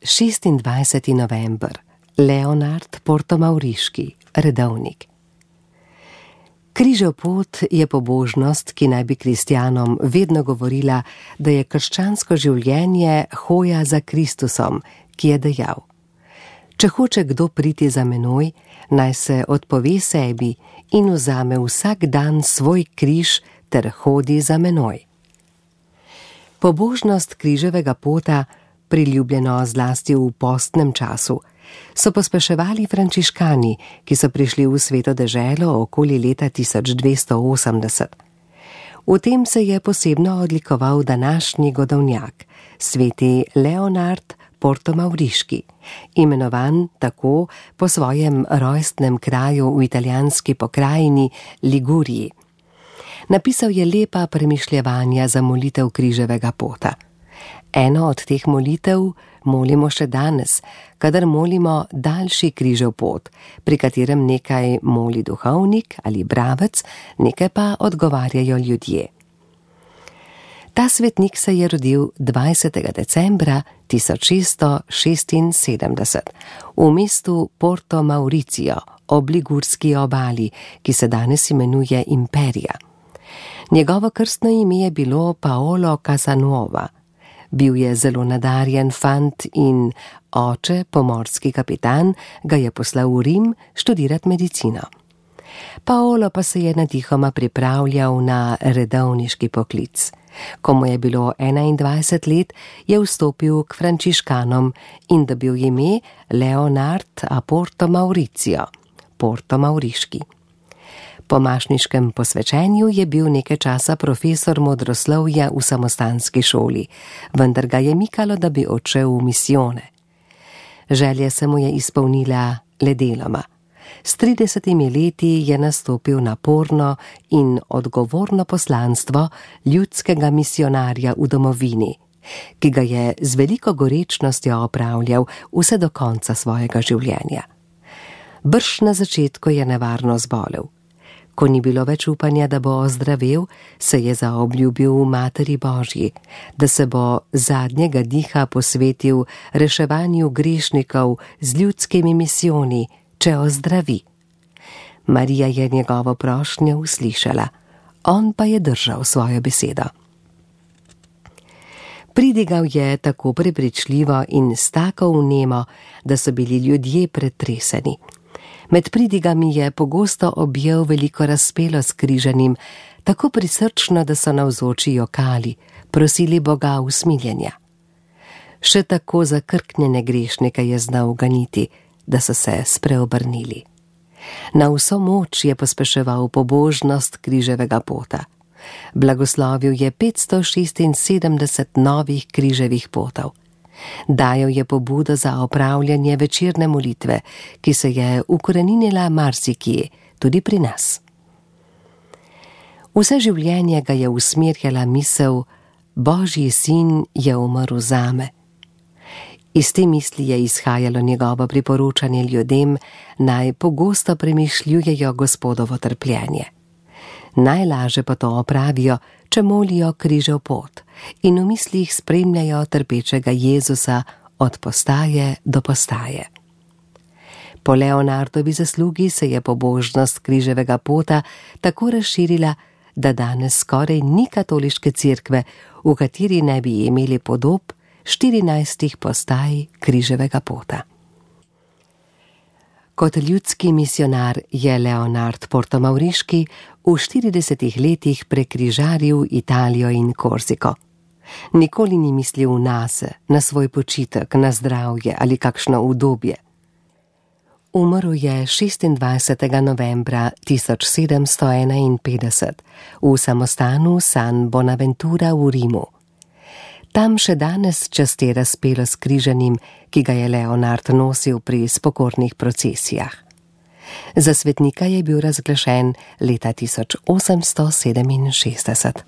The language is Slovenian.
26. november. Leonard Portomauriški, redovnik. Križev pot je pobožnost, ki naj bi kristjanom vedno govorila, da je krščansko življenje hoja za Kristusom, ki je dejal: Če hoče kdo priti za menoj, naj se odpove sebi in vzame vsak dan svoj križ ter hodi za menoj. Pobožnost križevega pota, priljubljeno zlasti v postnem času, so pospeševali frančiškani, ki so prišli v Sveto deželo okoli leta 1280. V tem se je posebno odlikoval današnji godovnjak, sveti Leonard Portomauriški, imenovan tako po svojem rojstnem kraju v italijanski pokrajini Liguriji. Napisal je lepa premišljevanja za molitev križevega pota. Eno od teh molitev molimo še danes, kadar molimo daljši križev pot, pri katerem nekaj moli duhovnik ali bravec, nekaj pa odgovarjajo ljudje. Ta svetnik se je rodil 20. decembra 1676 v mestu Porto Mauricio ob Ligurski obali, ki se danes imenuje Imperija. Njegovo krstno ime je bilo Paolo Casanuova. Bil je zelo nadarjen fant in oče, pomorski kapitan, ga je poslal v Rim študirati medicino. Paolo pa se je natihoma pripravljal na redovniški poklic. Ko mu je bilo 21 let, je vstopil k frančiškanom in dobil ime Leonard a Portomauricio, Portomauriški. Po mašniškem posvečenju je bil nekaj časa profesor modroslovja v samostanski šoli, vendar ga je mikalo, da bi odšel v misijone. Želja se mu je izpolnila le deloma. S 30 leti je nastopil naporno in odgovorno poslanstvo ljudskega misionarja v domovini, ki ga je z veliko gorečnostjo opravljal vse do konca svojega življenja. Brž na začetku je nevarno zbolel. Ko ni bilo več upanja, da bo ozdravel, se je zaobljubil v Materi Božji, da se bo zadnjega diha posvetil reševanju grešnikov z ljudskimi misijoni, če ozdravi. Marija je njegovo prošnjo uslišala, on pa je držal svojo besedo. Pridigal je tako prepričljivo in s tako vnemo, da so bili ljudje pretreseni. Med pridigami je pogosto objel veliko razpelo s križanim, tako prisrčno, da so navzoči jokali, prosili Boga usmiljenja. Še tako zakrknjene grešnike je znal ganiti, da so se spreobrnili. Na vso moč je pospeševal pobožnost križevega pota. Blagoslovil je 576 novih križevih potov. Dajal je pobudo za opravljanje večerne molitve, ki se je ukoreninila marsikje, tudi pri nas. Vse življenje ga je usmerjala misel: Božji sin je umrl zame. Iz te misli je izhajalo njegovo priporočanje ljudem, naj pogosto premišljujejo Gospodovo trpljenje. Najlaže pa to opravijo, če molijo križev pot in v mislih spremljajo trpečega Jezusa od postaje do postaje. Po Leonardovi zaslugi se je pobožnost križevega pota tako razširila, da danes skoraj ni katoliške cerkve, v kateri ne bi imeli podob 14 postaj križevega pota. Kot ljudski misionar je Leonard Portomauriški v 40 letih prekrižaril Italijo in Korziko. Nikoli ni mislil nase, na svoj počitek, na zdravje ali kakšno udobje. Umrl je 26. novembra 1751 v samostanu San Bonaventura v Rimu. Tam še danes časti razpelo s križanim, ki ga je Leonard nosil pri spokornih procesijah. Za svetnika je bil razglašen leta 1867.